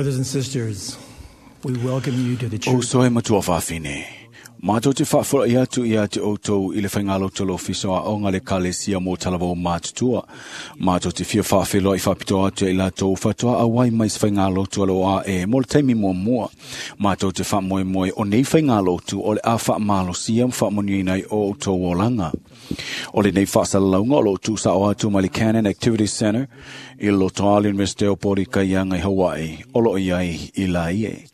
Brothers and sisters, we welcome you to the O church. soe matua whawhine. Mātou te whaafura i atu i atu outou i le whaingalo lo fiso a onga le kalesia mō talavou mātutua. Mātou te fia whaawheloa i whapito atu i la tō whatoa a wai mai se whaingalo tua lo a e mō le taimi mua mua. Mātou te whamoe moe o nei whaingalo tu o le a whaamalo sia mwhaamonuina i o tō olanga. O le nei whaasalalaunga o lo tū sa o atu mai le Canon Activity Center i loto ali University o Pori Kaianga i Hawaii o lo iai i la ie.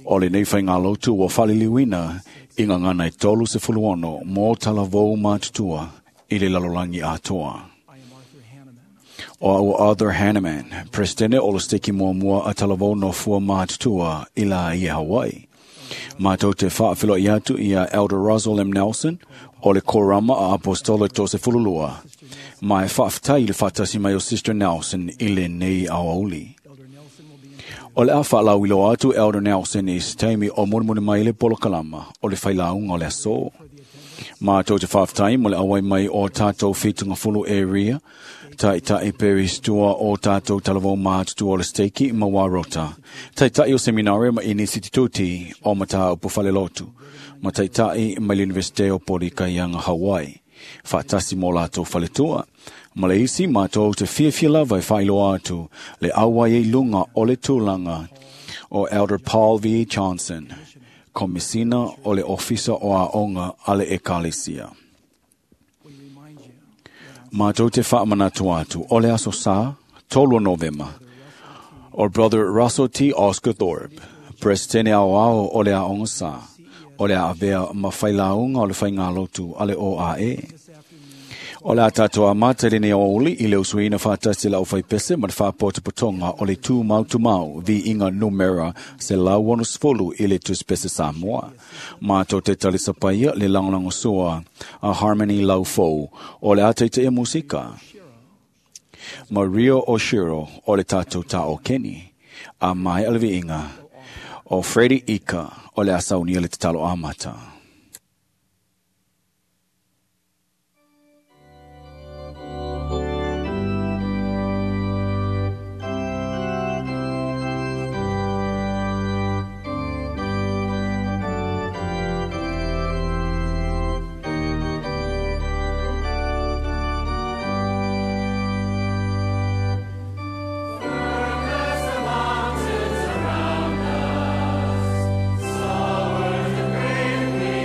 O le nei whaingalotu o whaliliwina i ngā ngana i tolu se fuluono mō talavou mātutua i le lalolangi atoa. I am Arthur Hanneman. O au Arthur Hanneman, presidente o le steki mua mua a talavou no fua mātutua i la i Hawaii. Mātou te whaafilo i atu i a Elder Russell M. Nelson o le Korama a Apostolo tō se fululua. Mai whaaftai i le whatasi mai o Sister Nelson i le nei awauli. Elder Nelson will be in O le a whaalauilo atu Elder Nelson i se taimi o murimuri mai le polokalama o le whailaunga o le aso. Mātou te whaaftai mo le awai mai o tātou whitunga fulu area, tai tai peristua o tātou talavou mātutu o le steiki ma warota. Tai tai o seminario ma inisitituti o mata o pufale lotu. Ma tai tai mai le Universite o Pori Kaianga Hawaii. Whaatasi mō lātou whaletua. Ma le isi mātou te whiawhia lava e whailoa atu le awai e lunga o le tūlanga o Elder Paul V. Johnson, komisina o le ofisa o aonga a le ekalesia. We remind you Mātou te whaamanatu atu o le aso sā, 3 Novema, o Brother Russell T. Oscar Thorpe, Presidente ao ao o le aonga sā, o le avea ma whailaunga o le whaingalotu a le OAE. this afternoon O le a tātou a mata le nei o uli i le usuina whātasi la o whaipese ma le whāpōta potonga o le tū mau tu mau vi inga numera se lau ono sfolu i le tuspese Samoa. Mātou te talisa paia le langolango sua a Harmony Lau Fou o le ata i te musika. Maria Oshiro o le tātou tā o Kenny. A mai alvi inga o Freddie Ika o le asaunia le te talo amata. Mountains around us, soars the great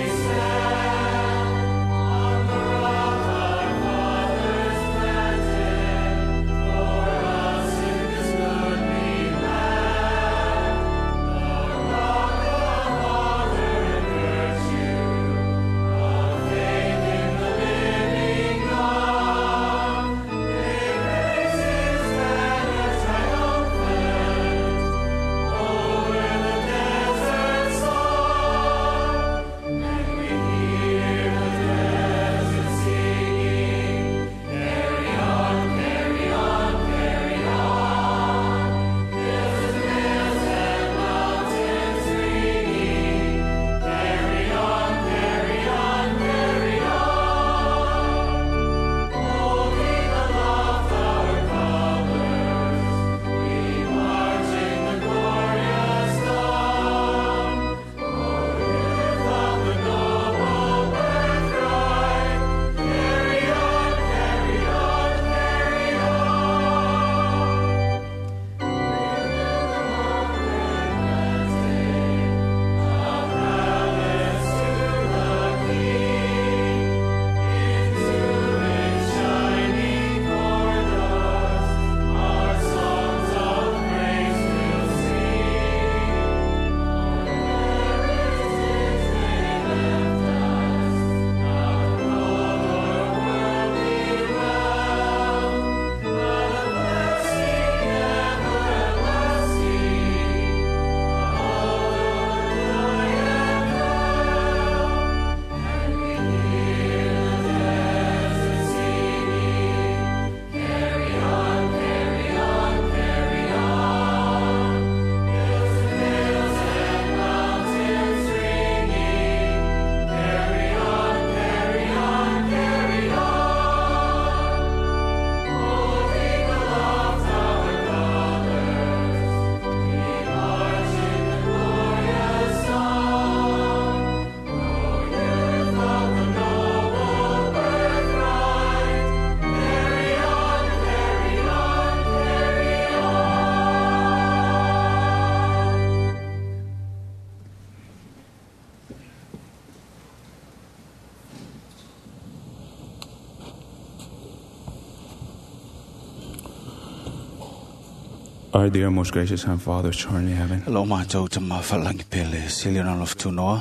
Our dear most gracious and Father, which art in heaven, Lo mātou te mawhalangi pele, sili na lofutunoa.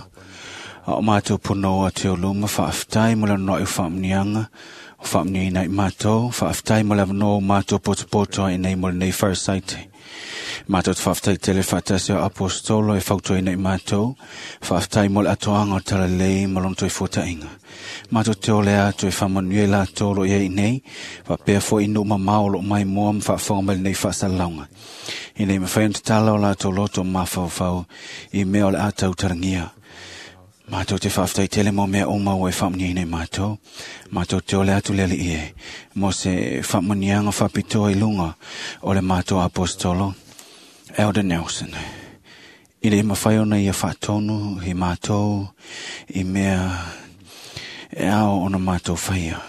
A o mātou ponoa te o luma, whaaftai mo le noa i whaamnianga, o whaamnia i mātou, whaaftai mo le no mātou potopoto i nei mo le nei wharasaite. Mātou te whaaftai tele whaatasi o apostolo e whautua i nei mātou, whaaftai mo le atoanga o tala lei mo lono toi fōtainga. Mātou te ole atu e whamanui e lātou lo ia i nei, whapea fo i numa mao lo mai mua ma whaafonga mai le nei whaasalaunga. I nei mawhai te tala o lātou loto mawhauwhau i mea o le ātau tarangia. Mātou te whaaftai tele mō mea o mau e whaamnia nei mātou. Mātou te ole atu lele ie. Mō se whaamanianga whapitoa i lunga o le mātou apostolo Elder Nelson. I le mawhai ona ia whaatonu i mātou i mea e ao ona mātou whaia.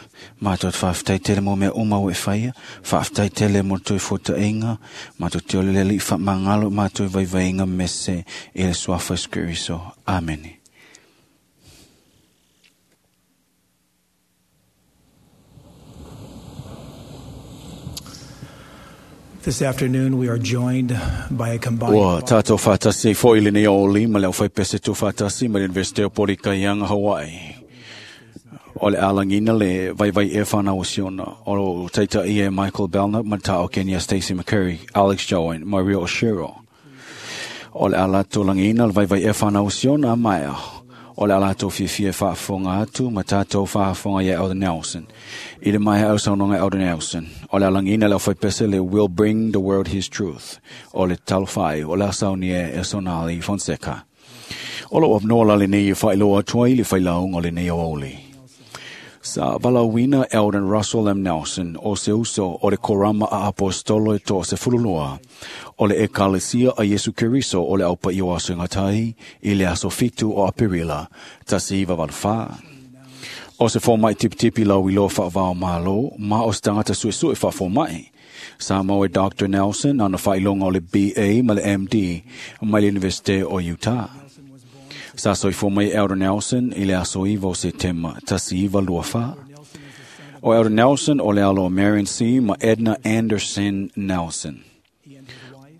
Mātou te whaaftai tele mō mea o mau e whaia, whaaftai tele mō toi fōtainga, mātou te ole lele i whaamangalo, mātou vaivainga mese i le suafa skiriso. Amene. This afternoon, we are joined by a combined Ua tātou whātasi fo i le nei o lima le au whai pese tū whātasi ma le University o Porikaianga, Hawaii. O le alangina le vai vai e whanau o siona. O teita ia Michael Belknap, Matao o Kenya Stacey McCurry, Alex Joan, Maria Oshiro. O le alato langina le vai vai e whanau o siona a maea. O le alato fiafia whaafonga atu, ma tātou whaafonga ia Elder Nelson. I le mai au saunonga Elder Nelson. O le alangina le au whaipese le Will Bring the World His Truth. O le talofai, o le asaunia e Sonali Fonseca. O lo wapnoa la le nei e whailoa atuai le whailaunga o le nei o oli. Sa valauina Eldon Russell M. Nelson o se uso o le korama a apostolo e toa se fululua. O le ekalesia a Yesu Keriso o le aupa i o aso ngatai i le aso fitu o Aperila, tasi iwa valu wha. O se fōmai tipitipi lau i loa whaavao malo, ma o se tangata suesue whaafōmai. Sa mau e Dr. Nelson ana whailonga o le BA ma le MD mai le University o Utah. Sa soifua mai Elder Nelson i le aso iwa o Setema, tasi iwa lua wha. O Elder Nelson o le alo o Marion C. ma Edna Anderson Nelson.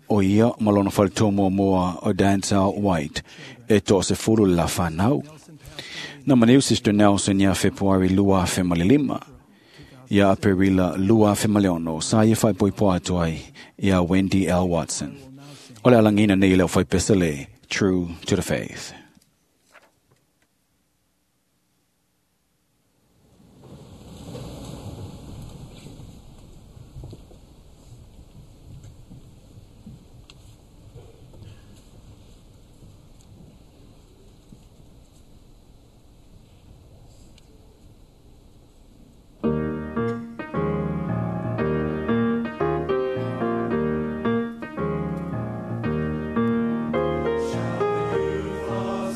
O ia ma lona whalitoa mua o Denzel White e toa se furu le la whanau. Na maniu Sister Nelson ia Februari lua afe ma le lima. Ia Aperila lua afe ma le ono, sa ia whai poipoa atu ai ia Wendy L. Watson. O le alangina nei leo whai pesele, True to the Faith. Shall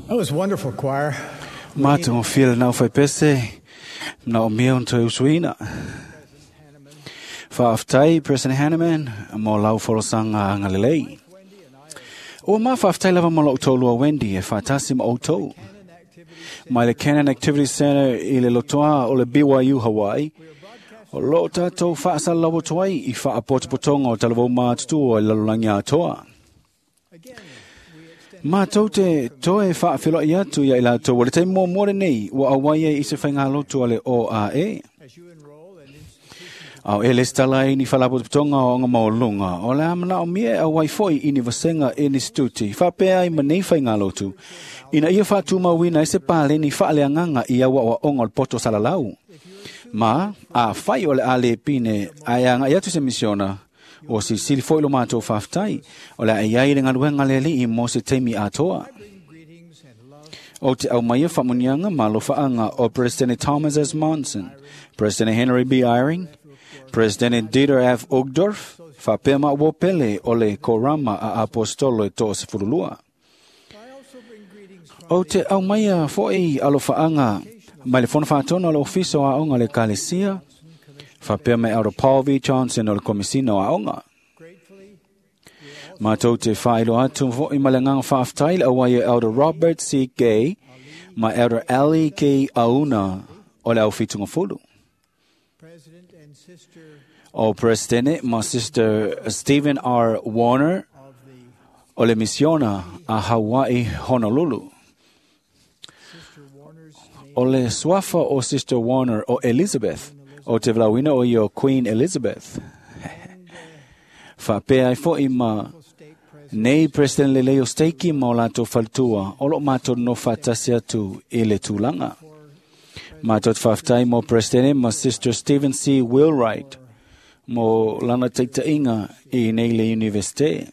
That was wonderful, choir. Mātou feel nau whai pese, nau mea un toi usuina. Whaaftai, President Hanneman, mo lau folosanga anga lelei. Ua mā whaaftai lava mo lau tōlua Wendy e whaatasi ma outou. Mai le Canon Activity Center i le lotoa o le BYU Hawaii, o lo tātou whaasalawa toai i whaapotopotonga o talavou mātutua i lalolangi atoa. Mātou te toe whaawhelo i atu ia i lātou o le taimo more nei ua awai e i se whaingalotu ale OAE. Au e lestala i ni whalapotopotonga o ngā maolunga o le amana o mie a waifoi i ni vasenga e ni stuti whapea i manei whaingalotu. Ina ia whātūmauina e se pāle ni whaaleanganga i aua o onga o le poto salalau. Ma, a whai o le ale pine ai anga i atu se misiona o si sili foi lo mātou whaftai o le ai ai le ngaluenga le li i mo se teimi atoa. O te au maia whamunianga ma lo whaanga o President Thomas S. Monson, President Henry B. Eyring, President Dieter F. Uchtdorf, whapea ma wopele o le korama a apostolo e tō se furulua. O te au maia foi alo whaanga mai le fono whaatona o le ofiso a onga le kalesia, whapea mai Elder Paul V. Johnson o le komisina o aonga. Mātou te whailo atu foi ma le nganga whaaftai le awai e Elder Robert C. Gay ma Elder Ali K. Auna o le au whitunga fulu. O President ma Sister Stephen R. Warner o le misiona a Hawaii Honolulu. O le suafa o Sister Warner o Elizabeth, o te vlauina o io Queen Elizabeth. Whapea ai foi ma nei President Leleo Steiki ma o lātou faltua, o lo mātou no whatasi atu i le tūlanga. Mātou te whaftai mo President ma Sister Stephen C. Wheelwright mo lana teitainga i nei le universite.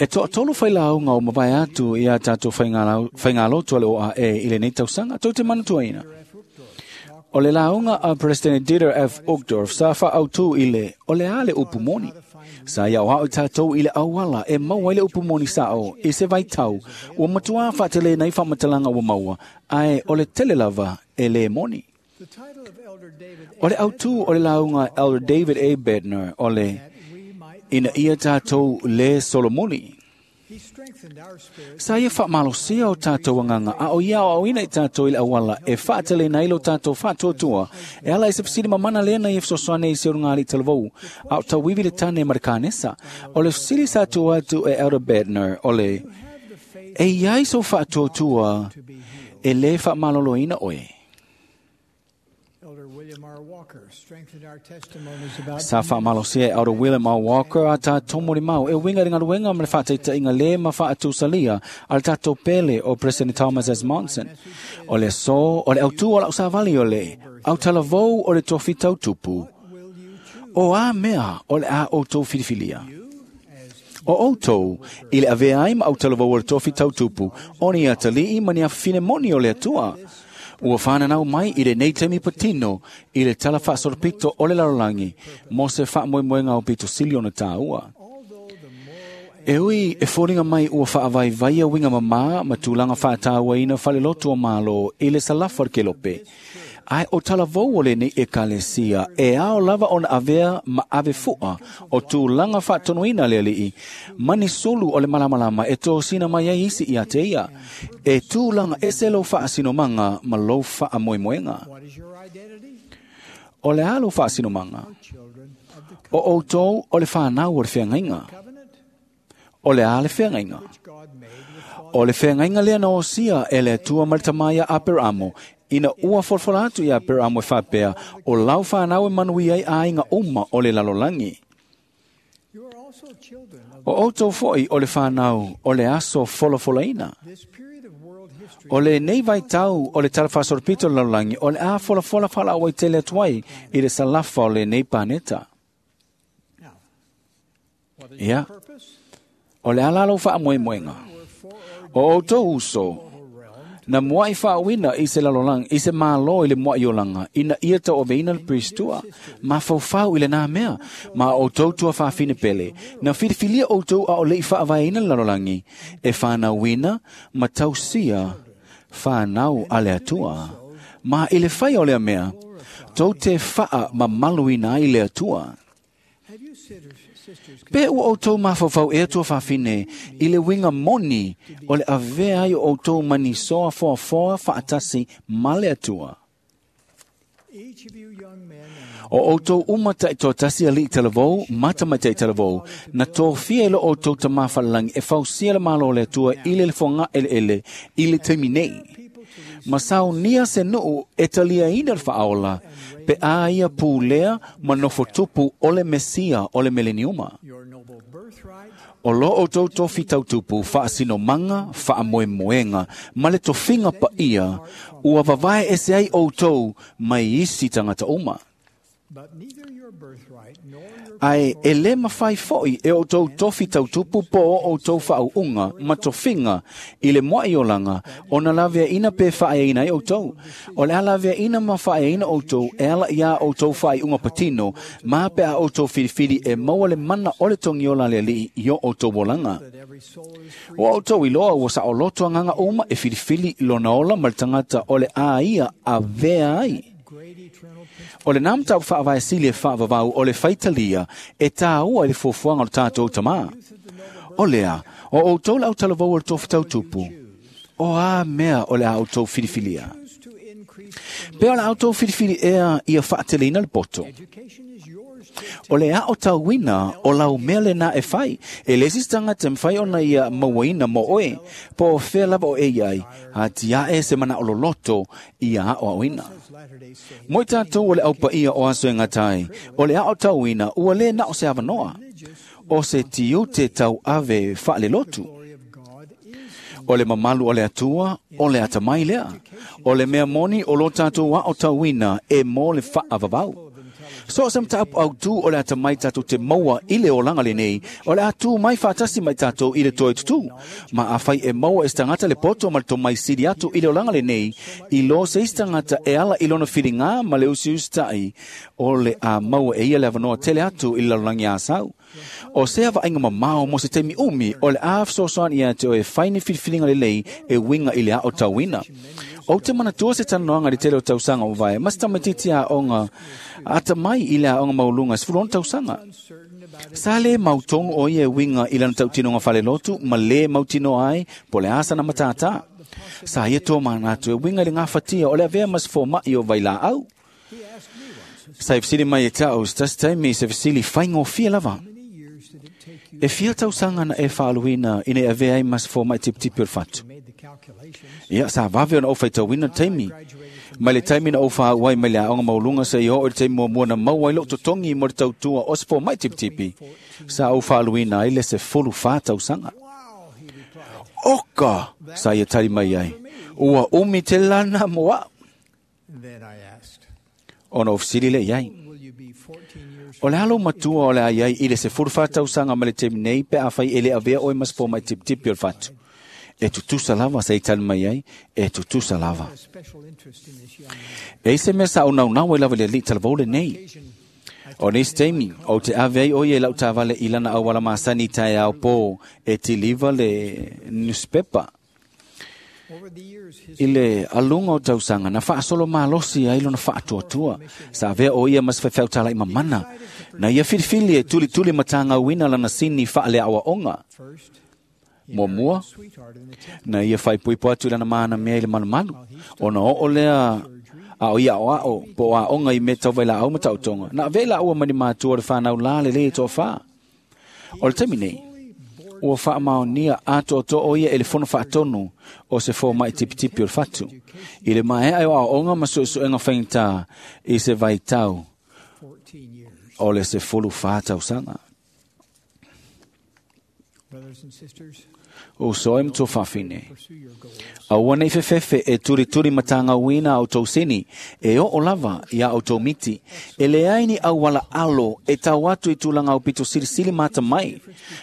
E toa tolu whai launga o mawae atu i a tātou whaingalotu ale OAE i le nei tausanga, tau te manatuaina. O le launga a President Dieter F. Uchtdorf sa whaautu i le o le ale upu moni. Sa ia o hao tātou i le awala e maua i le upu moni sao i se vaitau ua matua whaatele nei whamatalanga ua maua ae o le tele lava e le moni. O le autu o le launga Elder David A. Bednar o le ina ia tātou le Solomoni. Sa ia whaamalosia o tātou anganga a o ia o ina i tātou i le awala e whaatele na ilo tātou whaatuatua e ala e se fisili mamana lena i efsosoane i se urungali talavou a o tauivi le tane marikanesa o le fisili sa atu atu e Elder Bednar o le e iai so whaatuatua e le whaamaloloina oe. Sa whaamalosia e Elder William R. Walker a tā tōmori mau e winga ringa ruenga ma le whaataita inga le ma whaatusalia a le tātou pele o President Thomas S. Monson. O le so, o le autu o lau savali o le, au talavou o le tofi tautupu. O a mea o le a o tō whiriwhilia. O outou, i le avea ai ma au talavou o le tofi tautupu, o ni atalii ma ni awhine moni o le atua. Ua whananau mai i le nei temi patino i le tala whaasoropito o le lalolangi mo se whaamoemoenga o pito sili ona tāua. E ui e fōringa mai ua whaavaivaia winga mamā ma tūlanga whaatāua ina whalelotu o mālo i le salafa ke lope. Ai o talavou o le nei e kalesia e ao lava ona avea ma ave fua o tūlanga whaatonuina le alii. Mani sulu o le malamalama e tō sina mai ai isi i a te ia. E tūlanga e se lo whaasinomanga ma lo whaamoemoenga. O le alo whaasinomanga. O outou o le whanau o le wheangainga. O le a le wheangainga. O le wheangainga lea na osia e le atua maritamaia a Peramo ina ua folfola atu ia Peramo e whapea o lau whanau e manui ai a inga uma o le lalolangi. O outou foi o le whanau o le aso folafolaina. O le nei vaitau o le talawhasoropito le lalolangi o le a folafola whala o tele atuai i le salafa o le nei paneta. Ia, o le alalo whaamoemoenga. O outou uso, Na muai faauina i se lalolagi i se mālō i le muaʻi olaga ina ia tauaveina le peristua mafaufau i lenā mea ma outou tuafafine pele na filifilia outou a o leʻi faavaeina le lalolagi e fanauina ma tausia fanau a le Atua. Ma i le faia o lea mea, tou te faamamaluina ai le Atua. Pe ua outou mafaufau ea tuafafine i le uiga moni o le avea ai o outou manisoa foafoa faatasi ma le Atua. O outou uma taitoatasi aliʻi talavou ma tamaitai talavou na tofia e lo outou tamā falalagi e fausia le malo o le Atua i le lefoga eleele i le taimi nei. Ma saunia se nuu e taliaina le faaola pe a ia pulea ma nofotupu o le Mesia o le meleniuma. O lo outou tofi tautupu faasinomaga faamoemoega ma le tofiga paia ua vavae ese ai outou mai isi tagata uma. Ae e lē mafai foʻi e outou tofi tautupu po o outou faauuga ma tofiga i le muaʻi olaga ona laveaʻina pe faaeaina ai outou. O le a laveaʻina ma faaeaina outou e ala iā outou faaiuga patino ma pe a outou filifili e maua le mana o le togiola a le Alii i o outou olaga. Ua outou iloa ua saoloto agaga uma e filifili lona ola ma le tagata o le a ia avea ai. O lenā mataupu faavaesili e faavavau o le faitalia e tāua i le fuafuaga o le tatou tamā. O lea, o outou le autalavou o le tofi tautupu, o a mea o le a outou filifilia. Pe o le a outou filifili ea ia faateleina le poto. O le ao tauina o lau mea lenā e fai, e le isi tagata e mafai ona ia mauaina mo oe, po o fea lava o e iai, atiae se manao loloto ia aoaoina. Mo i tatou o le aupaia o aso e gatai, o le ao tauina ua lē na o se avanoa, o se tiute tauave faalelotu. O le mamalu o le Atua, o le atamai lea. O le mea moni o lo tatou ao tauina e mo le faavavau. So o se mataupu autū o le atamai tatou te maua i le olaga lenei, o le a tū mai faatasi mai tatou i le toe tutū. Ma afai e maua e se tagata le poto ma le tomai sili atu i le olaga lenei, i lo se isi tagata e ala i lona filigā ma le usiusitai, o le a maua e ia le avanoa tele atu i le lalolagi asau. O sea vaaiga mamao mo se taimi umi o le a fesoasoani ia te oe fai ni filifiliga lelei e uiga i le aotauina. Ou te manatua se talanoaga i le tele o tausaga o vae, ma se tamaitiiti aoga atamai i le aoga maualuga 16 tausaga. Sa lē mautonu o ia e uiga i lana tautinoga falelotu ma lē mautinoa ai po o le a sana matātā. Sa ia toa manatu e uiga i le gafatia o le avea ma se fomaʻi o vailaau. Sa e fesili mai e taʻu se tasi taimi se fesili faigofie lava. E fia tausaga na e faaluina ina e avea ai ma se fomaʻi tipitipi o le fatu. Ia, sa vave ona ou faitauina le taimi. Mai le taimi na ou faauu ai mai le aoga maualuga seia oo i le taimi muamua na maua ai lou totogi mo le tautua o se fomaʻi tipitipi, sa ou faaluina ai le 14 tausaga. Oka! Sa ia tali mai ai. Ua umi tele lana mo aʻu. Ona ou fesili lea i ai. O le a lou matua o le a iai i le 14 tausaga mai le taimi nei pe afai e le avea oe ma se fomaʻi tipitipi o le fatu. E tutusa lava sa i tali mai ai, e tutusa lava. E i se mea sa ou naunau ai lava i le alii talavou lenei. O nisi taimi, ou te ave ai o ia i lau taavale i lana auala masani i taeao pō e tiliva le newspaper. I le aluga o tausaga na faasolo malosi ai lona faatuatua, sa avea o ia ma se faifeau mamana, na ia filifili e tulituli ma tagauina lana sini faaleaoaoga. Muamua, na ia faaipoipo atu i lana manamea i le malumalu, ona oo lea a o ia aoao po o aoga i mea tau vailaau ma taotoga, na avea i laua ma ni matua o le fanau la lelei e toafā. O le taimi nei, ua faamaonia atoatoa o ia e le fono faatonu o se fomaʻi tipitipi o le fatu. I le maea e o aoaoga ma suesuega faigata i se vaitau o le 14 tausaga. O soe mto fafine. Aua nei fefefe e turi matanga wina au tau sini, e o olava ia au tau miti. E le aini au wala alo e tau atu i tūlanga au pito silisili mata mai.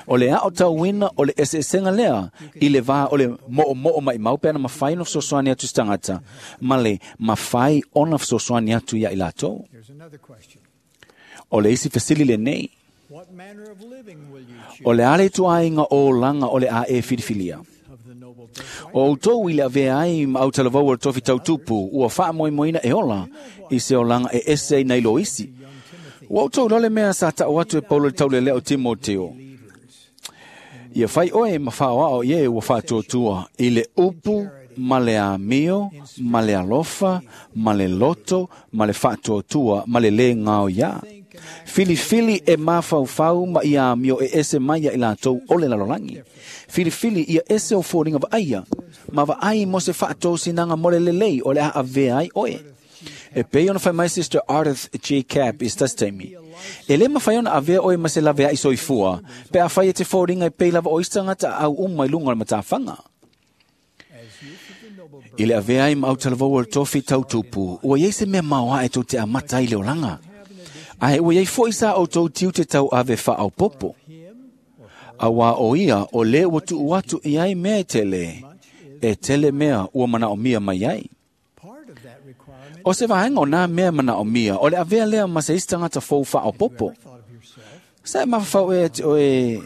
O le ao tau wina o le eseesenga lea, i le vā o le mo'o mo'o mai mau pe ana mawhai no fesoasoani atu stangata, ma le mawhai ona fesoasoani atu ia i lātou. O le isi fesili le nei. O le ale tuainga o langa o le a e filifilia. O outou i le avea ai ma au talavou o le tofi tautupu, ua faamoemoeina e ola i se olaga e ese ai nai lo isi. Ua outou lole mea sa ta'u atu e Paulo le taulelea o Timoteo. Ia fai oe ma faaoao i e ua faatuatua i le upu ma le amio, ma le alofa, ma le loto, ma le faatuatua, ma le lē gaoiā. Filifili e mafaufau ma ia amio e ese mai ia i latou o le lalolagi. Filifili ia ese o foliga vaaia, ma vaai mo se faatosinaga mo le lelei o le a avea ai oe. E pei ona fai mai Sister Ardith G. Cap i se tasi taimi. E lē mafai ona avea oe ma se lavea'i soifua, pe afai e te foliga e pei lava o isi tagata aau uma i luga o le matafaga. I le avea ai ma autalavou o le tofi tautupu, ua iai se mea maoaʻe tou te amata ai le olaga. Ae ua iai fo'i sa outou tiute tauave faaopopo. Auā o ia o lē ua tuu atu i ai mea e tele, e tele mea ua manaomia mai ai. O se vaega o nā mea manaomia, o le avea lea ma se isi tagata fou faaopopo. Sa e mafaufau ea te oe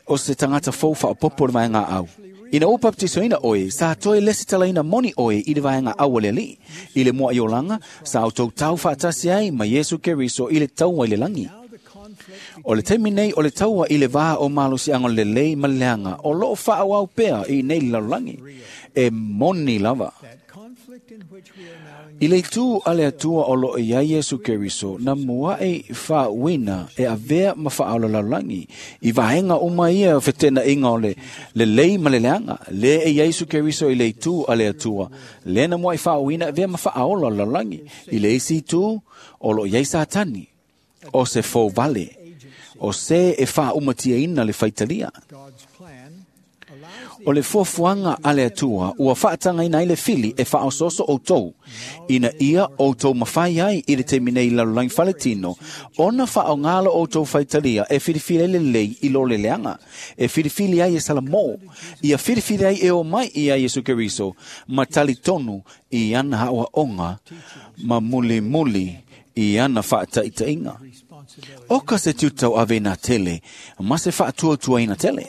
o se tagata fou faaopopo le vaega au. Ina ua baptisoina oe, sa toe lesi talaina moni oe i le vaega au a le Alii. I le mua i olaga, sa outou tau faatasi ai ma Iesu Keriso i le taua i le lagi. O le taimi nei o le taua i le vā o malosiaga o le lelei ma le leaga, o loo faaauau pea i nei le lalolagi. E moni lava. I le itu a le Atua o loo iai Iesu Keriso, na muaʻi faauuina e avea ma faaola lalolagi. I vaega uma ia o fetenaiga o le lelei ma le leaga, lea e iai Iesu Keriso i le itu a le Atua, lea na muaʻi faauuina e avea ma faaola lalolagi. I le isi itu, o loo iai Satani, o se fouvale, o se e faaumatiaina le faitalia. O le fuafuaga a le Atua ua faatagaina ai le fili e faaosooso outou, ina ia outou mafai ai i le taimi nei lalolagi faletino, ona faaogā lo outou faitalia e filifili ai le lelei i lo le leaga, e filifili ai e Salamo, ia filifili ai e o mai ia Iesu Keriso, ma talitonu i ana aoaoga, ma mulimuli i ana faataitaiga. O ka se tiute ave na tele, ma se faatuatuaina tele.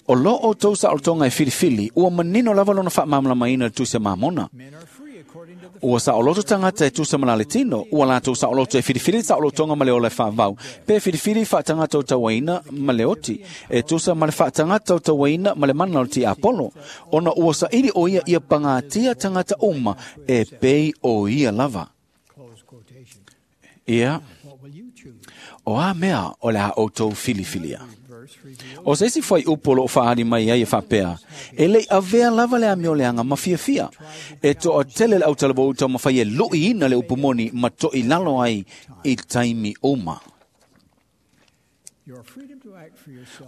O lo outou saolotoga e filifili, ua manino lava lona faamalamalamaina le tusi a Mamona. Ua saoloto tagata e tusa ma le tino, ua latou saoloto e filifili saolotoga ma le ola e faavau, pe filifili faatagata o tauaina ma le oti, e tusa ma le faatagata o tauaina ma le mana o le tiapolo, ona ua saili o ia ia pagatia tagata uma e pei o ia lava. Ia, o a mea o le a outou filifilia. O se isi foi upu o loo faali mai ai e faapea, e lei avea lava le amio leaga ma fiafia. E toa tele le autalavou tau mawhai e lui ina le upu moni ma toi lalo ai i taimi uma.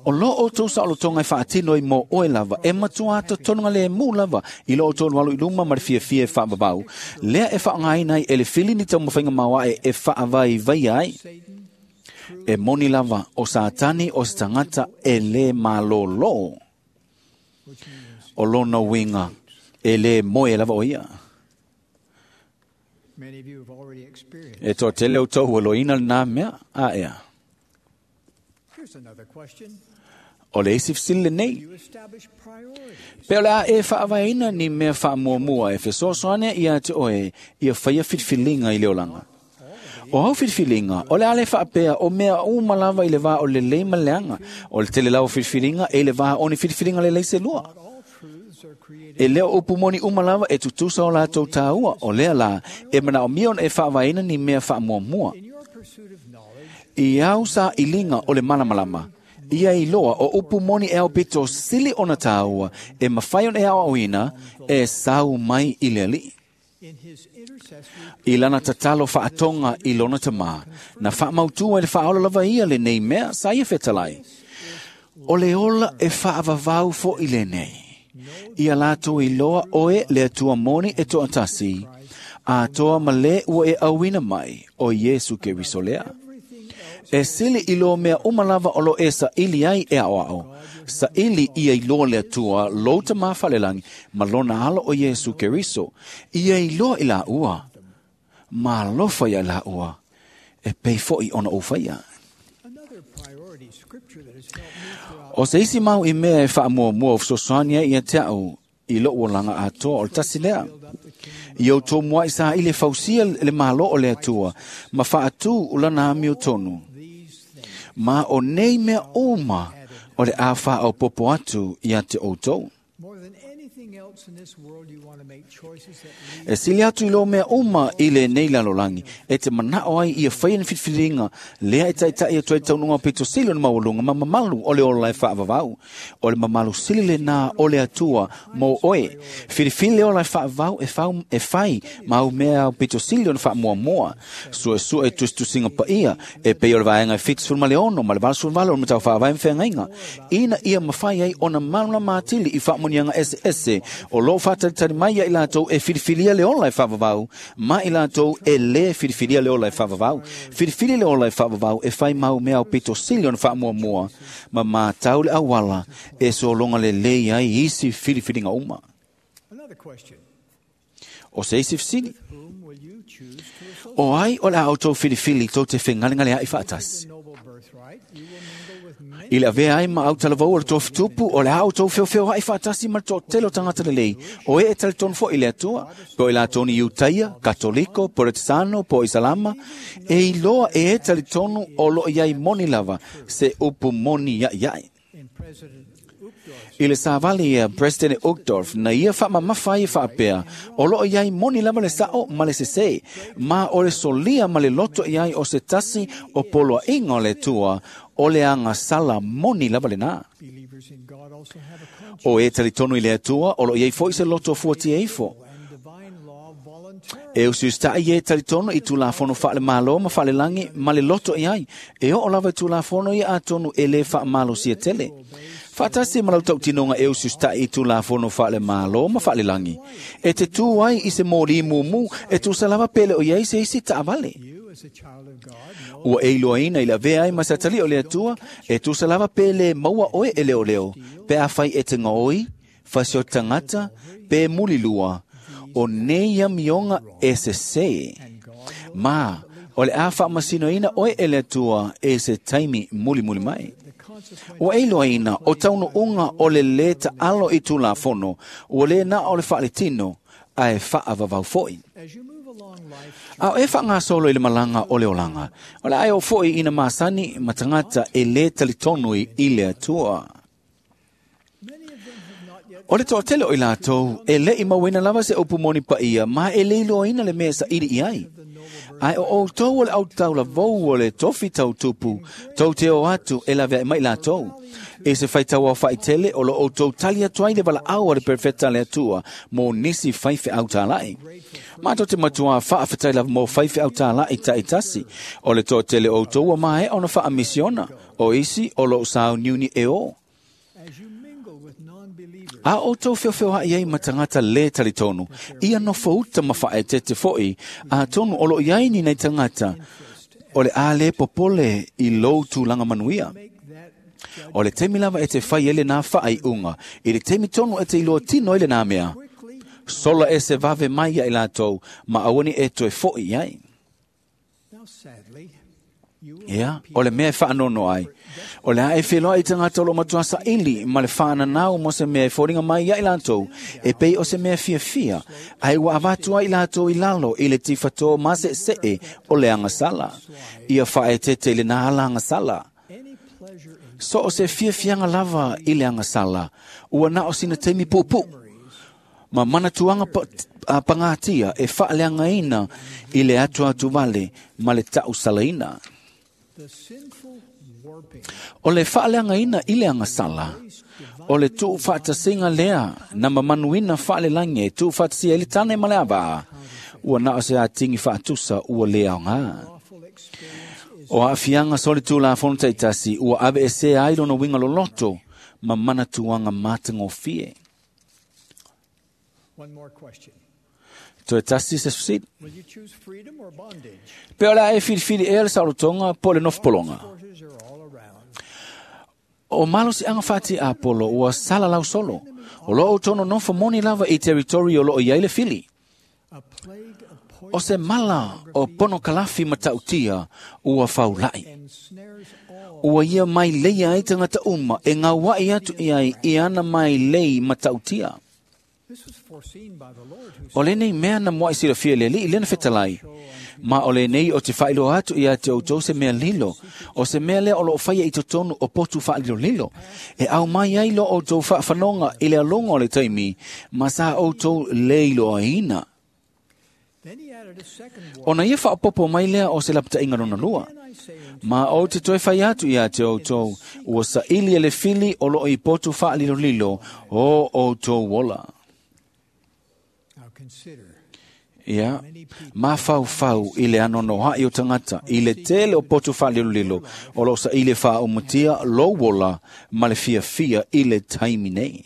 O lo outou saolotoga e faatino i mo oe lava, e matua atotonuga le mu lava i lo outou alu i luma ma le fiafia e faavavau, lea e faaaogaina ai e le fili ni taumafaiga maoaʻe e faavaivaia ai. E moni lava o Satani o se tagata e lē malōlō. O lona uiga e lē moe lava o ia. E toatele outou ua loina lenā mea a ea. O le isi fesili lenei. Pe o le a e faavaeina ni mea faamuamua e fesoasoani ia te oe ia faia filifiliga i le olaga. O au filifiliga, o le a le faapea o mea uma lava i le vā o le lelei ma le leaga. O le tele lava o filifiliga e i le vā o ni filifiliga lelei se lua. E leo upu moni uma lava e tutusa o latou tāua, o lea la e manaomia ona e faavaeina ni mea faamuamua. I au sa iliga o le malamalama, ia iloa o upu moni e aupito sili ona tāua e mafai ona e aoaoina e sau mai i le Alii. I lana tatalo whaatonga i lona tama, na whaamautua i le whaola lava ia le nei mea sa ia fetalai. O le ola e whaavavau fo i le nei. Ia lātou i loa oe le atua moni e toatasi, a toa ma le ua e auina mai o Iesu Keriso lea. E sili i loa mea umalava o lo e sa ili ai e ao ao. Sa ili ia i loa le atua lou tama whalelangi ma lona alo o Iesu Keriso. Ia i loa i la ua. Ma lofa ia la ua. E pei foi ona o whaia. O se isi mau i mea e whaamua mua o fsosania ia te au i lo uolanga atoa o le tasi lea. I au tō mua i sa ile fausia le malo o le atua, ma whaatu ulana ami o tonu. Ma o nei mea uma o le āwha au popo atu ia te outou. E sili atu i lo mea uma i le nei lalolangi, e te manao ai ia whai ni whitwhiringa, lea e taitai atu ai taununga pito sili o ni mawalunga, ma mamalu o le ola e whaavavau. O le mamalu sili le nā o le atua mō oe. Whiriwhiri le ola e whaavau e whai mau mea pito sili o ni whaamuamua. Sua sua e tustusinga pa ia, e pei o le vaenga e whitisuru ma le ono, ma le valasuru vale o le matau whaavai mwhengainga. Ina ia mawhai ai ona maluna mātili i whaamunianga ese ese, o lo whātaritari mai ia i lātou e whiriwhiria le ola e whaavavau, ma i lātou e le whiriwhiria le ola e whaavavau. Whiriwhiri le ola e whaavavau e whai mau mea o pito sili ona whaamuamua, ma mātau le awala e solonga le lei ai isi whiriwhiringa uma. O se isi whisini, o ai o le autou whiriwhiri tō te whengalengale ai whaatasi. I le avea ai ma au talavau o le tō fitupu, o le au tō whiowhio ai whaatasi ma le tō telo tangata le lei. O e e talitonu fo i le atua, po i la toni Iutaia, Katoliko, Poretisano, po Isalama, e i loa e e talitonu o lo iai moni lava, se upu moni iai iai. I le sāvali ia President Uchtdorf na ia whaamamafa ia whaapea, o lo iai moni lava le sao ma le sese, ma o le solia ma le loto iai o se tasi o poloa inga o le tua, o le anga sala moni lava le nā. O e talitonu i le atua, o lo iai fo i se loto fuati eifo. E usiustai e talitonu i tūlafono whaale malo ma whaale langi ma le loto iai. E o lava i tūlafono i atonu e le whaamalo sia tele. Whaatasi malau tautinonga e usiustai i tūlafono whaale malo ma whaale langi. E te tū ai i se mōri mumu e tūsalava pele o iai se isi taavale. Ua e iloaina i la vea ai ma satali o le atua e tūsalava pele maua oe e leo leo. Pe a whai e te ngaoi, whasio tangata, pe mulilua. O nei mionga e se se. Ma, o le a whaamasinoina oe e le atua e se taimi muli muli mai. O e iloaina o tauno unga o le le ta alo i tūlafono, o le nā o le whaaletino, a e whaavavau foi. A e wha solo i le malanga o le olanga. O le ai o foi ina masani matangata e le talitonu i le atua. O le toatele o i lātou, e le i mauina lava se upu moni pa ia, ma e le iloaina le mea sa iri i ai. Ai o outou o le autaula vou o le tofi tau tupu, tau te o atu e lavea e mai lātou. E se whaitau au whaitele o lo outou tali atu ai le wala au a le perfecta le atua, mō nisi whaiwhe au tālai. Mātou te matua whaawhetai lava mō whaiwhe au tālai ta itasi, o le toatele o outou a mae ona whaamisiona, o isi o lo sao niuni e o. A o tau whiowhio ai ai matangata le talitonu, ia no fauta mawhae te te foi, a tonu o lo iai ni nei tangata, o le a le popole i lou tūlanga manuia. O le temi lava e te whai ele nā whaai unga, i le temi tonu e te iloa tino ele nā mea. Sola e se vave mai ia i lātou, ma awani e toe foi ai. Ia, o le mea e whaanono ai. O le a e wheloa i tangata o lo matua sa ili, ma le whaananau mo se mea e fōringa mai ia i lātou, e pei o se mea fia fia, ai ua avatua i lātou i lalo i le tiwhatoa ma se see o le angasala. Ia whaetete i le nā ala angasala. So o se fia fianga lava i le angasala, ua na o sina teimi pupu. Ma mana tuanga pangatia e whaaleangaina i le atu atu vale ma le tau salaina. O le whaaleangaina i le angasala, o le tuu whaatasinga lea na mamanuina whaalelangi e tuu whaatasia i le tane ma le avaa. Ua na o se atingi faatusa ua le aoga. O aafiaga solitulafono taitasi ua aveesea ai lona uiga loloto ma manatuaga matagofie. Toe tasi se fesili. Pe o le a e filifili ea le saolotoga po o le nofopologa. O malosiaga faatiapolo ua salalau solo. O loo outou nonofo moni lava i teritori o loo i ai le fili. O se mala o ponokalafi matautia ua faulai. Ua ia mai leia ai tagata uma e gauaʻi atu i ai i ana mai lei matautia. O lenei mea na muaʻi silafia le Alii lena fetalai, ma o lenei o te faailoa atu ia te outou se mea lilo, o se mea lea o loo faia i totonu o potu faalilolilo, e au mai ai lo outou faafanoga i le aloga o le taimi, ma sa outou le iloaina. Ona ia faapopo mai lea o se lapataiga lona lua. Ma ou te toe fai atu ia te outou, ua saili e le fili o loo i potu faalilolilo o outou ola. Ia, mafaufau i le anoanoaʻi o tagata, i le tele o potu faalilolilo, o loo saili e faaaumatia lou ola ma le fiafia i le taimi nei.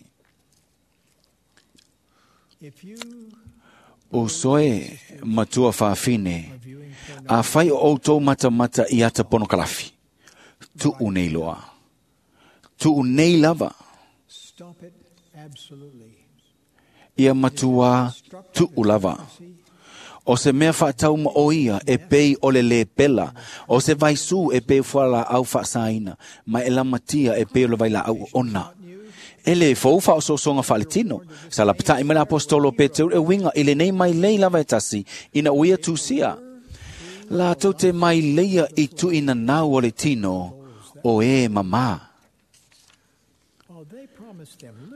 O soe matua faafine, a fai o outou matamata i ata ponokalafi, tuu nei loa. Tuu nei lava. Ia matua tuu lava. O se mea faatauma o ia e pei o le lepela, o se vaisu e pei fualaau faasaina, ma e lamatia e pei o le vailaau ona. E le fou faaosoosoga faaletino, sa lapataʻi mai le apostolo Peteru e uiga i lenei mai lei lava e tasi, ina ua ia tusia. Latou te mai leia i tuuinanau o le tino o e mamā.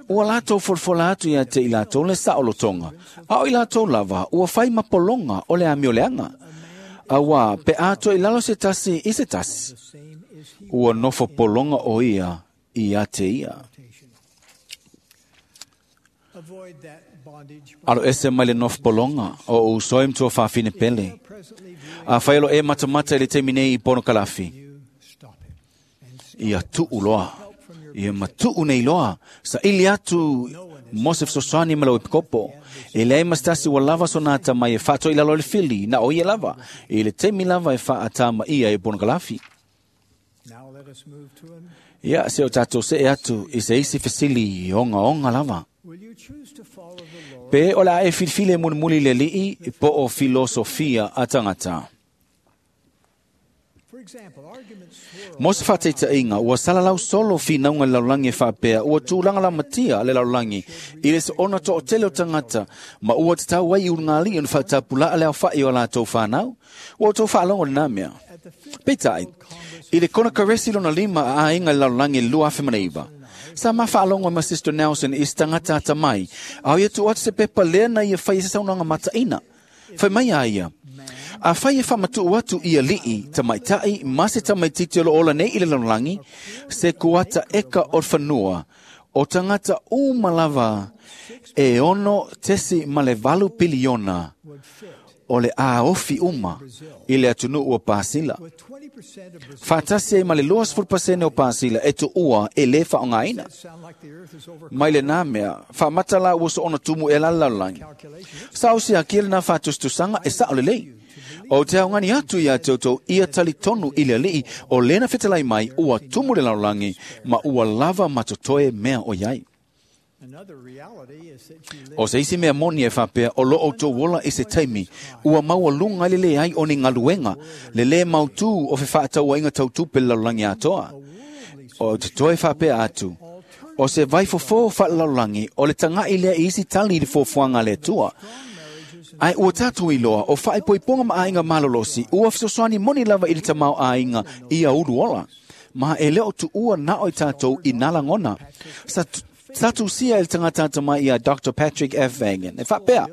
Ua latou folafola atu ia te i latou le saolotoga, a o i latou lava ua fai mapologa o le amioleaga. Auā pe a toe i lalo se tasi i se tasi, ua nofo pologa o ia ia te ia. Alo ese mai le nofo pologa o usoe matua faafine pele. A fai o lo e matamata i le taimi nei i ponokalafi, ia tuu loa. Ia matuu nei loa, saili atu mo se fesoasoani ma lau epikopo. E leai ma se tasi ua lava sona atamai e faatoʻi lalo i le fili, na o ia lava, i le taimi lava e faatamāia e ponokalafi. Ia, se o tatou see atu i se isi fesili ogaoga lava. Pe o le a e filifili e mulimuli le Alii po o filosofia a tagata. Mo se faataitaiga, ua salalau solo finauga i le lalolagi e faapea, ua tulaga lamatia le lalolagi i le soona toʻatele o tagata, ma ua tatau ai i ulugalii ona faatapulaa le aofaʻi o a latou fanau. Ua outou faalogo lenā mea. Peitai, i le konekaresi lona lima a aiga i le lalolagi i le 2009, sa mafaalogo ma Sister Nelson i se tagata atamai, a o ia tuu atu se pepa lea na ia fai se saunoaga mataʻina. Fai mai a ia, a fai e faamatuu atu i alii, tamaitaʻi ma se tamaititi o loo ola nei i le lalolagi, se kuata eka o le fanua, o tagata uma lava e 6.8 piliona o le aofi uma i le atunuu o Pasila. Faatasi ai ma le 20% o Pasila e tuua e lē faaaogaina. Mai lenā mea, faamata la ua soona tumu e la le lalolagi. Sa o siakia lenā faatusatusaga e saʻo lelei. O te aogani atu ia te outou ia talitonu i le Alii o lena fetalai mai ua tumu le lalolagi ma ua lava ma totoe mea o iai. O se isi mea moni e faapea o loo outou ola i se taimi, ua maualuga ai le leai o ni galuega, le lē mautū o fefaatauaiga tautupe le lalolagi atoa. O te toe faapea atu, o se vaifofō faalelalolagi o le tagaʻi lea i isi tali i le fuafuaga a le Atua. Ae ua tatou iloa o faaipoipoga ma aiga malolosi ua fesoasoani moni lava i le tamaoaiga ia ulu ola. Ma e le o tuua na o i tatou i nā lagona. Sa tusia e le tagata atamai ia Dr. Patrick F. Vagan. E faapea,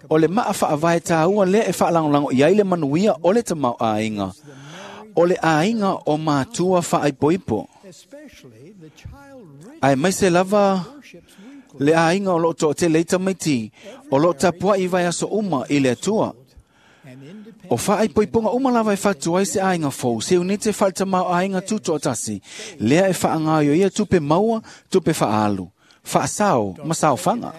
o le maa faavae tāua lea e faalagolago i ai le manuia o le tamaoaiga, o le aiga o matua faaipoipo. Ae maise lava Le aiga o loo toatele i tamaiti, o loo tapuai i vaiaso uma i le Atua. O faaipoipoga uma lava e fatu ai se aiga fou, se unite faaletamao aiga tutoatasi, lea e faagaoioia tupe maua, tupe faaalu, faasao ma saofaga.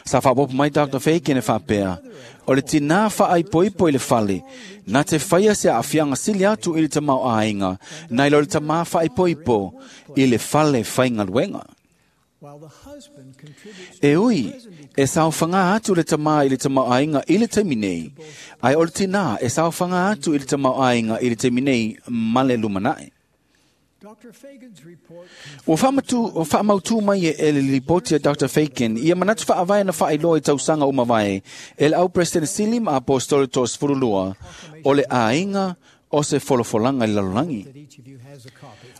Sa faapopo mai Dr. Fagan e faapea, o le tinā faaipoipo i le fale, na te faia se aafiaga sili atu i le tamao aiga, nai lo le tamā faaipoipo i le fale faigaluega. E ui, e saofaga atu le tamā i le tamaoaiga i le taimi nei, ae o le tinā e saofaga atu i le tamaoaiga i le taimi nei ma le lumanai. Ua faamautū mai e le lipoti a Dr. Fagan ia manatu faavae na faailoa i tausaga uma vae e le au President Sili ma Apostolo 32 o le aiga o se folofolaga i le lalolagi.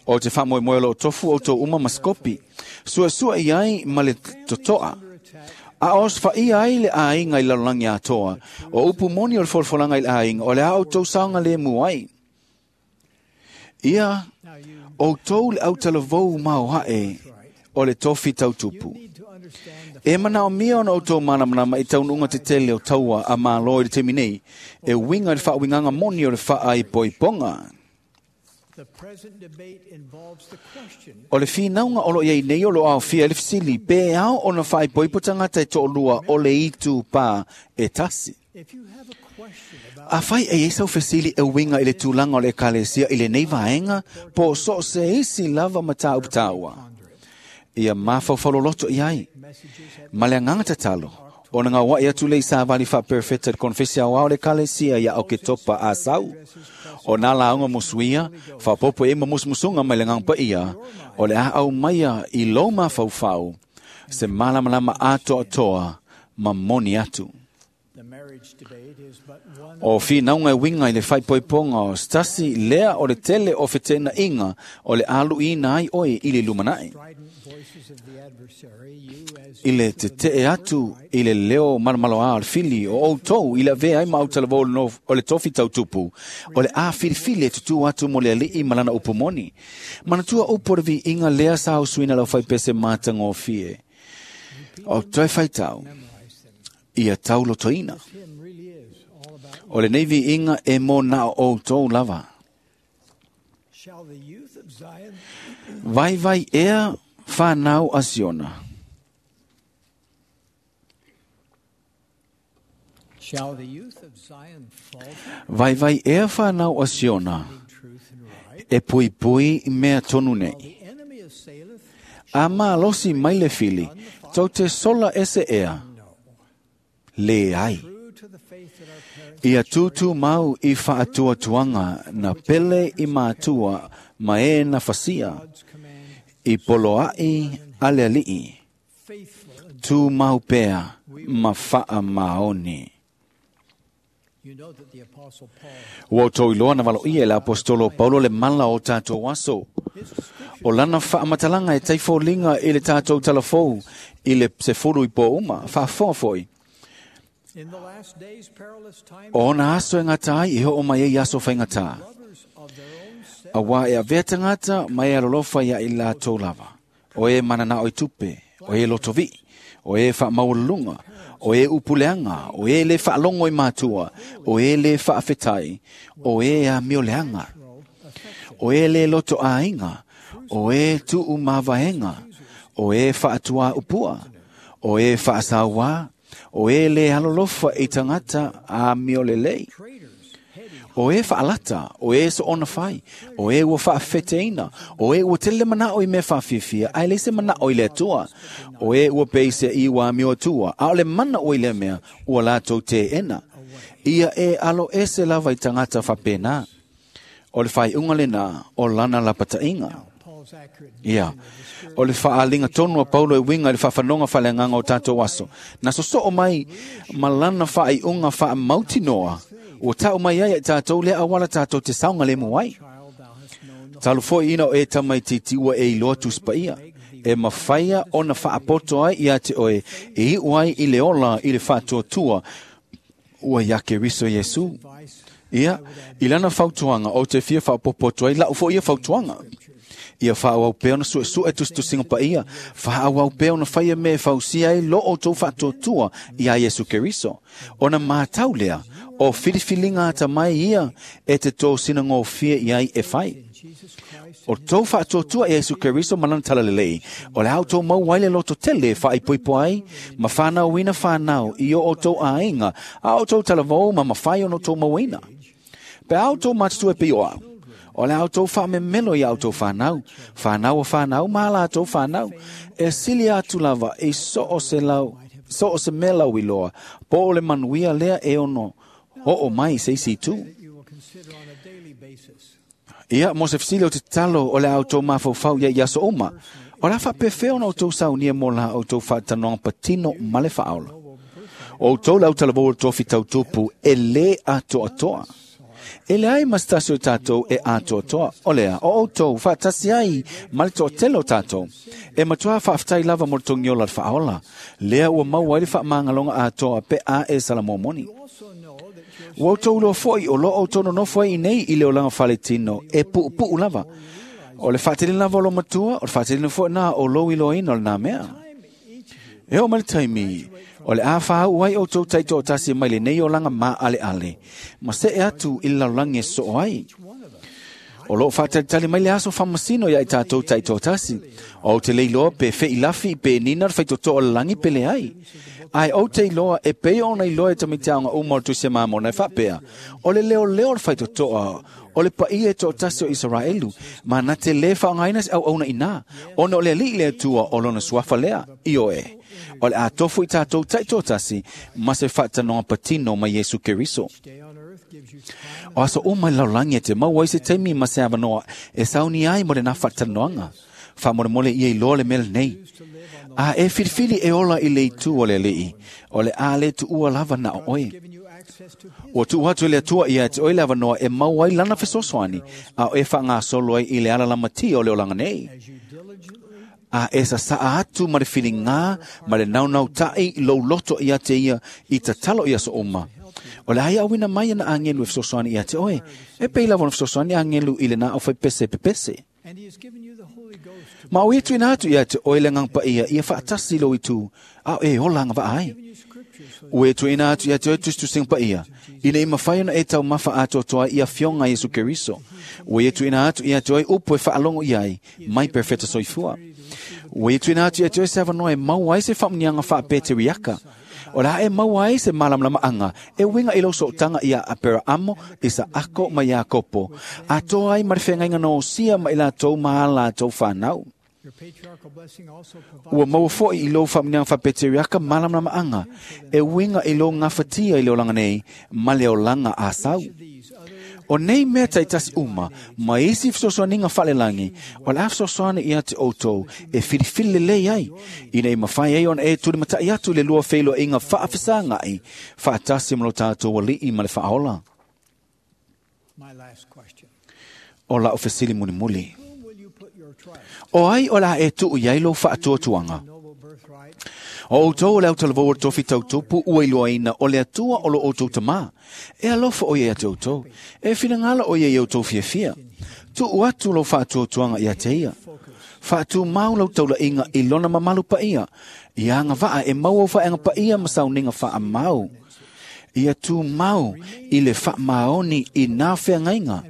O te faamoemoe o loo tofu outou uma ma skopi, suasua i ai ma le totoa. A os faia ai le aiga i le lalolagi atoa, o upu moni o le folofolaga i le aiga, o le a outou saoga lemu ai. Ia, outou le autalavou maoae o le tofi tautupu. E manaomia ona outou malamalama i taunuuga tetele o taua a Malo i le taimi nei, e uiga i le faauigaga moni o le faaipoipoga. O le finauga o loo iai nei o loo aofia i le fesili, pe ao ona faaipoipo tagata e toalua o le itu pā e tasi. Afai e iai sau fesili e uiga i le tulaga o le ekalesia i lenei vaega, po o so o se isi lava mataupu taua. Ia mafaufau i ai. Ma le agaga tatalo, ona gauai atu le i savali faaperefeta i le konefesi aoao o le ekalesia ia Oketopa a sau. O nā lauga musuia, faapopo e ma musumusuga mai le agaga paia, o le a aumaia i lou mafaufau, se malamalama atoatoa ma moni atu. O finauga e uiga i le faaipoipoga o se tasi lea o le tele o feteenaiga o le aluiina ai oe i le lumanai. I le tetee atu i le leo malomaloa o le fili o outou i le avea ai ma autalavou o le tofi tautupu, o le a filifili e tutū atu mo le alii ma lana upu moni. Manatua upu o le viiga lea sa usuina lau faipese matagofie. O toe faitau, ia taulotoina. O lenei viiga e mo na o outou lava. Vaivai ea whanau a Siona. Vaivai ea whanau a Siona e pui pui mea tonu nei. A malosi mai le fili, tau te sola ese ea. Le ai. Ia tūtū mau i whaatuatuanga na pele i mātua ma e na fasia i poloai a le alii. Tū mau pea ma whaa maoni. Ua outou iloa na valoia e le apostolo Paulo le mala o tātou aso. O lana faamatalaga e taifoliga i le tātou talafou i le sefulu i pō uma, faafoa foi. O ona aso e ngata ai e hoo mai ei aso whaingatā. A wā e avea tangata mai e alolofa ia i lātou lava. O e manana oi tupe, o e lotovi, o e whaamaualunga, o e upuleanga, o e le whaalongo i mātua, o e le whaafetai, o e a mioleanga, o e le loto āinga, o e tuu mavaenga, o e whaatua upua, o e whaasauā, o e le alolofa i tangata a miolelei. O e whaalata, o e so ona whai, o e ua whaafeteina, o e ua tele manao i me whaafifia, ai le se manao i le atua, o e ua peise i ua mio atua, a o le mana o i le mea, ua lātou te ena. Ia e alo ese lava i tangata whapena. O le whai unga lena, o lana lapatainga. Ia, o le whaalinga tonu a Paulo e winga i le whawhanonga whaleanganga o tātou aso. Na soso o mai, ma lana whaai unga wha mautinoa, o tau mai ai tātou le awala tātou te saunga le muai. Talu foi ina o e tamai titi ua e iloa tuspaia. E mawhaia ona whaapoto ai ia te oe, e iu ai i le ola i le whaatuatua, ua ia ke riso Yesu. Ia, i lana fautuanga o te fia whaapopoto ai, lau fo ia fautuanga. Ia faaauau pea ona suesue tusitusiga paia, faaauau pea ona faia mea e fausia ai lo outou faatuatua iā Iesu Keriso. Ona matau lea, o filifiliga atamai ia e te tosinagofie i ai e fai. O tou faatuatua ia Iesu Keriso ma lana talalelei, o le a outou maua ai le loto tele e faaipoipo ai, ma fanauina fanau i o outou aiga, a outou talavou ma mafai ona outou mauaina. Pe a outou matutua e pei o au, o le a outou faamemelo ia outou fanau, fanau o fanau ma a latou fanau, e sili atu lava i so o se lau, so o se mea lauiloa, po o le manuia lea e ono oo mai i se isi itu. Ia, mo se fesili o te tatalo o le a outou mafaufau ia i aso uma, o le a faapefea ona outou saunia mo la outou faatanoaga patino ma le faaola. O outou le autalavou o le tofi tautupu e lē atoatoa. E leai ma se tasi o tatou e atoatoa, o lea, o outou faatasi ai ma le toatele o tatou. E matuā faafetai lava mo le togiola le faaola, lea ua maua ai le faamagaloga atoa pe a e salamomoni. Ua outou iloa foi o lo outou nonofo ai iinei i le olaga faletino e puupuu lava. O le faateleina lava o lou matua, o le faateleina foi lena o lou iloaina o lenā mea. E oo mai le taimi, o le a fāu'u ai outou taitoatasi mai lenei olaga maaleale, ma see atu i le lalolagi e soo ai. O loo faatalitali mai le aso faamasino ia i tatou taitoatasi. Ou te le iloa pe feilafi pe nina le faitotoa o le lagi pe leai. Ae ou te iloa e pei ona iloa e tamaiti aoga uma o le Tusi a Mamona e faapea, o le leoleo o le faitotoa o le paia e toatasi o Isaraelu, ma na te lē faaaogaina se auauna inā, ona o le Alii le Atua o lona suafa lea, ioe, o le a tofu i tatou taitoatasi ma se faatanoga patino ma Iesu Keriso. O aso uma i le lalolagi e te maua ai se taimi ma se avanoa e sauni ai mo lenā faatanoaga. Faamolemole ia iloa le mea lenei. A e filifili e ola i le itu o le Alii, o le a le tuua lava na o oe. Ua tuu atu e le Atua ia te oe le avanoa e maua ai lana fesoasoani, a o e faagasolo ai i le ala lamatia o le olaga nei. A e sasaa atu ma le filigā ma le naunautai lou loto ia te ia i tatalo i aso uma. O le a ia auina mai ana agelu e fesoasoani ia te oe, e pei lava ona fesoasoani agelu i lenā aufaipese pepese. Ma o ia tuuina atu ia te oe le Agaga Paia ia faatasi i lou itu, a o e ola agavaa ai. Ua e tuuina atu ia te oe tusitusiga paia, ina ia mafai ona e taumafa atoatoa ai i afioga a Iesu Keriso. Ua ia tuuina atu ia te oe upu e faalogo i ai, mai perofeta soifua. Ua ia tuuina atu ia te oe se avanoa e maua ai se faamuniaga faapeteriaka. O le a e maua ai se malamalamaaga e uiga i lou sootaga iā Aperaamo, Isaako ma Iakopo, atoa ai ma le feagaiga na osia ma i latou ma a latou fanau. Ua maua foi i lou faamuniaga faapeteriaka malamalamaaga e uiga i lou gafatia i le olaga nei ma le olaga a sau. O nei mea taitasi uma, ma isi fesoasoaniga faalelagi, o le a fesoasoani ia te outou e filifili lelei ai, ina ia mafai ai ona e tulimata'i atu i le lua feiloaiga faafesaga'i faatasi ma lo tatou Alii ma le Faaola. O la'u fesili mulimuli, o ai o le a e tuu i ai lou faatuatuaga? O outou o le autalavou o le tofi tautupu ua iloaina o le Atua o lo outou Tamā. E alofa o ia ia te outou. E finagalo o ia i outou fiafia. Tuu atu lou faatuatuaga ia te ia. Faatumau lau taulaiga i lona mamalu paia, ia agavaa e maua au faeaga paia ma sauniga faamau. Ia tumau i le faamaoni i nā feagaiga,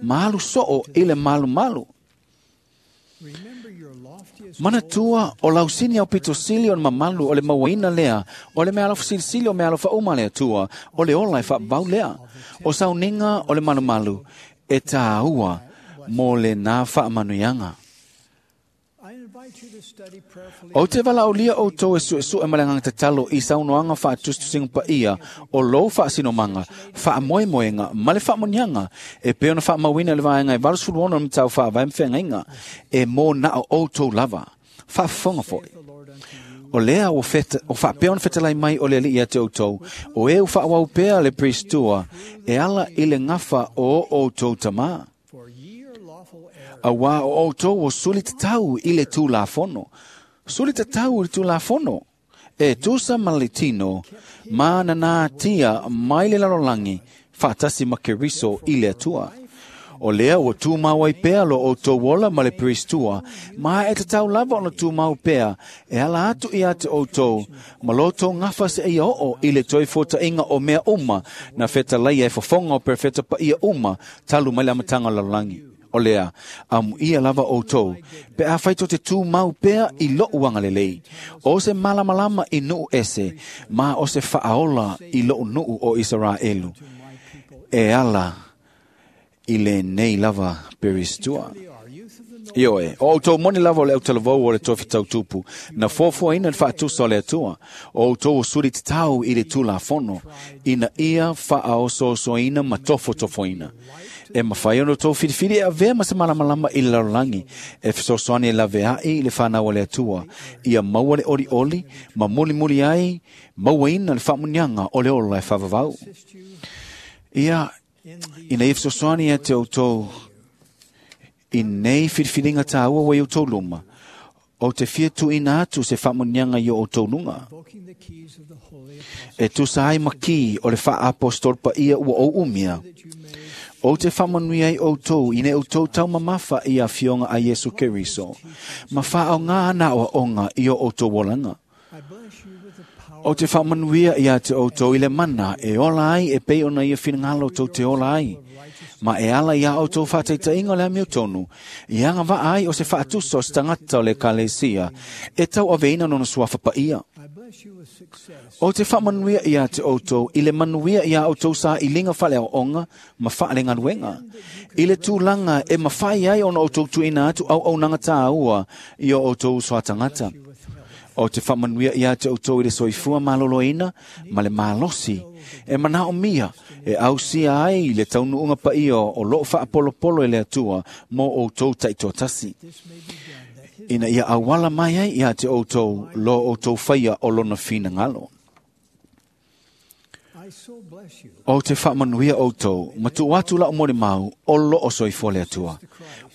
ma alu soo i le malumalu. Manatua, o lau sini aupito sili o le mamalu o le mauaina lea, o le meaalofa silisili o meaalofa uma a le Atua, o le ola e faavavau lea. O sauniga o le malumalu e tāua mo lenā faamanuiaga. Ou te valaaulia outou e suesue ma le agaga tatalo i saunoaga faatusitusiga paia o lou faasinomaga, faamoemoega ma le faamanuiaga e pei ona faamauina i le vaega e 86 o le Matau Faavae ma Feagaiga, e mo na o outou lava. Faafofoga foi. O lea ua faapea ona fetalai mai o le Alii ia te outou, o e ua faaauau pea le Priestua e ala i le gafa o outou tamā. Auā o outou o suli tatau i le Tulafono. Suli tatau i le Tulafono, e tusa ma le tino, ma nanātia mai le lalolagi, faatasi ma Keriso i le Atua. O lea ua tumau ai pea lo outou ola ma le Peristua, ma e tatau lava ona tumau pea e ala atu ia te outou, ma lo outou gafa seia oo i le toe fuataʻiga o mea uma na fetalaia e fofoga o perofeta paia uma talu mai le amataga o le lalolagi. O lea, amuia lava outou, pe afai tou te tumau pea i loʻu agalelei, o se malamalama i nuu ese, ma o se faaola i loʻu nuu o Isaraelu, e ala i lenei lava Peristua. Ioe, o outou moni lava o le autalavou o le tofi tautupu, na fuafuaina le faatusa o le Atua, o outou o suli tatau i le Tulafono, ina ia faaosoosoina ma tofotofoina. E mafai ona outou filifili e avea ma se malamalama i le lalolagi, e fesoasoani e laveai i le fanau a le Atua, ia maua le olioli ma mulimuli ai mauaina le faamuniaga o le ola e faavavau. Ia, ina ia fesoasoani ia te outou i nei filifiliga tāua ua i outou luma, o te fia tuuina atu se faamuniaga i o outou luga. Invoking the keys of the holy E tusa ai ma ki o le faaapostolo paia ua ou umia, that you may o te faamanuia ai outou ina outou taumamafa i afioga a Iesu Keriso, ma faaoga ana aoaoga i o outou olaga. I bless you with the power O te faamanuia ia te outou i le mana e ola ai e pei ona ia finagalo tou te ola ai. Ma e ala ia outou faataitaiga o le amiotonu, i agavaa ai o se faatusa o se tagata o le ekalesia, e tauaveina lona suafa paia. I bless you with success O te faamanuia ia te outou i le manuia ia outou sailiga faaleaoaoga ma faalegaluega. I le tulaga e mafai ai ona outou tuuina atu auaunaga tāua i o outou soatagata. with health. O te faamanuia ia te outou i le soifua maloloina ma le malosi e manaomia e ausia ai le taunuuga paia o loo faapolopolo e le Atua mo outou taitoatasi. This may be done that his Ina ia auala mai ai ia te outou lo outou faia o lona finagalo. I so bless you O te faamanuia outou, ma tuu atu lau molimau o loo soifua le Atua.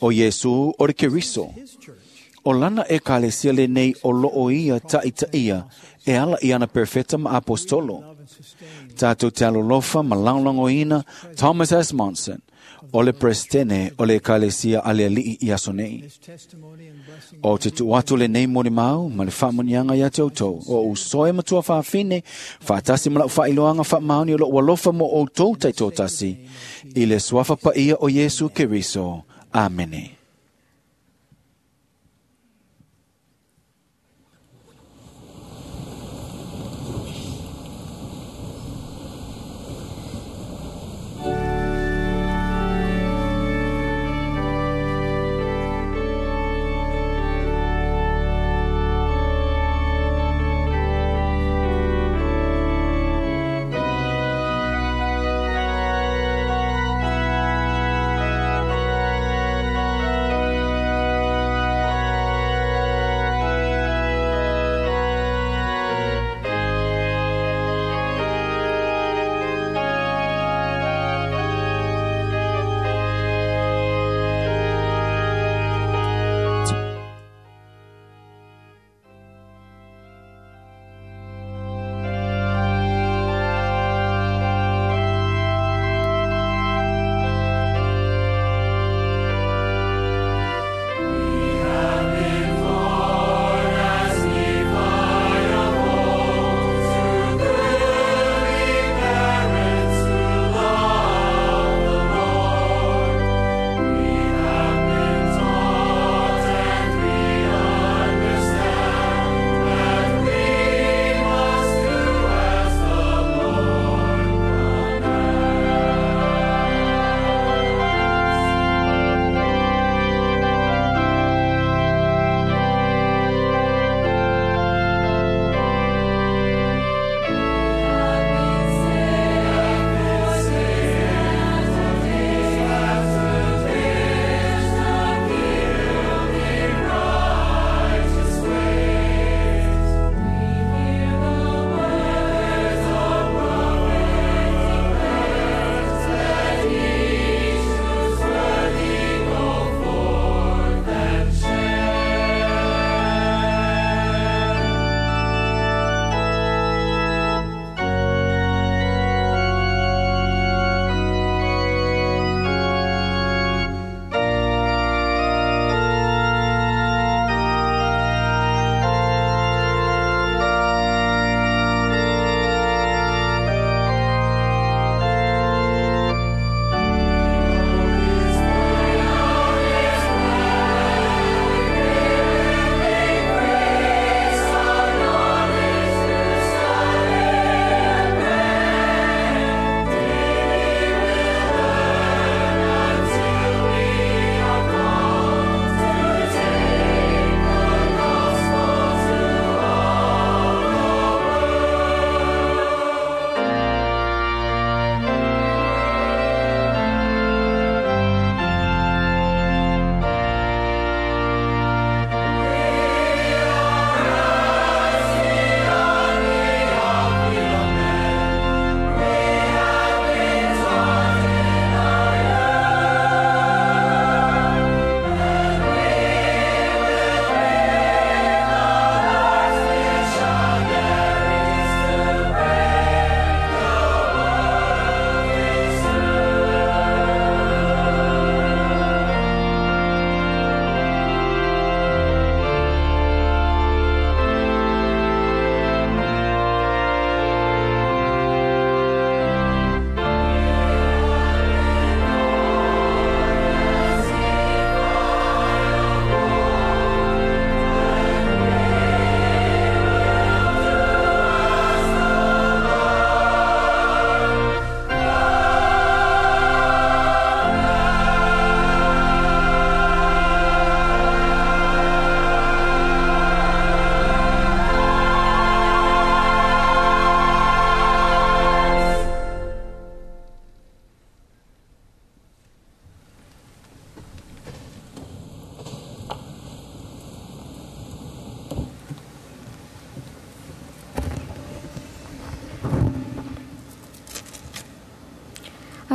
O Iesu o le Keriso, his church o lana ekalesia lenei o loo ia taitaia e ala i ana perfeta ma apostolo. love and sustain Tātou te alolofa ma lagolagoina Thomas S. Monson, o le presidene o le ekalesia a le alii i aso nei. this testimony and blessing O te tuu atu lenei molimau ma le faamuniaga ia te outou. O uso e matua faafine, faatasi ma lau faailoaga faamaoni o lou alofa mo outou taitoatasi, i le suafa paia o Iesu Keriso. Amene. Thank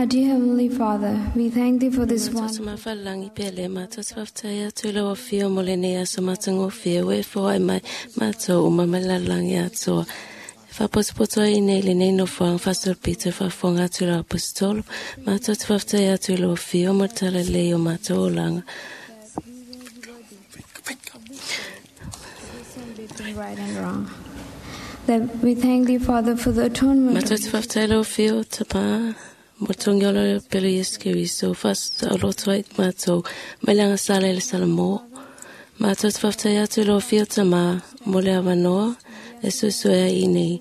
Our dear Heavenly Father, we thank Thee for this Matou one. te mafalagi pea le matou te faafetai atu i lau afio mo lenei aso matagofie ua e foai mai matou uma mai le lalolagi atoa. E faapotopoto ai nei lenei nofoaga faasolopito e faafofoga atu i lau aposetolo. Matou te faafetai atu i lau afio mo le talalelei o matou olaga. Between right and wrong. That we thank Thee, Father, for the atonement. Matou te faafetai i lau afio Tamā mo le togiga o le pele Iesu Keriso faasaoloto ai matou mai le agasala i le Salamo. Matou te faafetai atu i lau afio Tamā mo le avanoa e suesue ai i nei.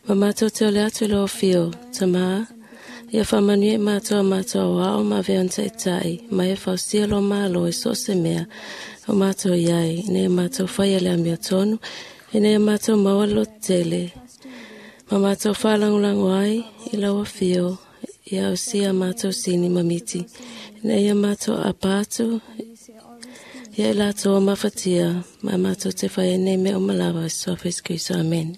Ma matou te ole atu i lau afio Tamā ia faamanuia i matou a matou aoao ma avea ona taitai ma ia fausia lo malo i so o se mea o matou i ai ina ia matou faia le amiotonu ina ia matou maua le lototele ma matou faalagolago ai i lau afio ia ausia a matou sini ma miti ina ia matou aapa atu ia i latou o mafatia ma matou te faia nei mea uma lava i Suafa Iesu Keriso. Amene.